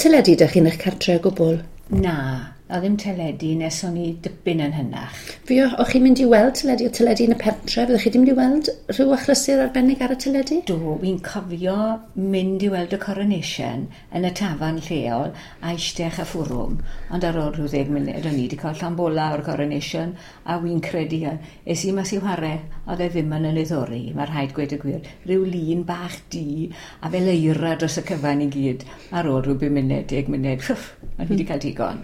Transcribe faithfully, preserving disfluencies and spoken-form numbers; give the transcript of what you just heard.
teledu 'da chi yn eich cartre o gwbl? Na, a ddim teledu nes o'n i dipyn yn hynach. Fi o, o'ch chi'n mynd i weld teledu, o teledu yn y pentre, fyddwch chi 'di mynd i weld rhyw achlysur arbennig ar y teledu? Do, wi'n cofio mynd i weld y coronation yn y tafarn lleol a eistedd a ffwrwm, ond ar ôl rhyw ddeg munud o'n i wedi cael llond bola o'r coronation a wi'n credu es i mas i whare, oedd e ddim yn 'y niddori, mae rhaid gweud y gwir. Rhyw lun bach du a fel eira dros y cyfan i gyd. Ar ôl rhyw bum munud, deg munud, ffwff, o'n i wedi cael digon.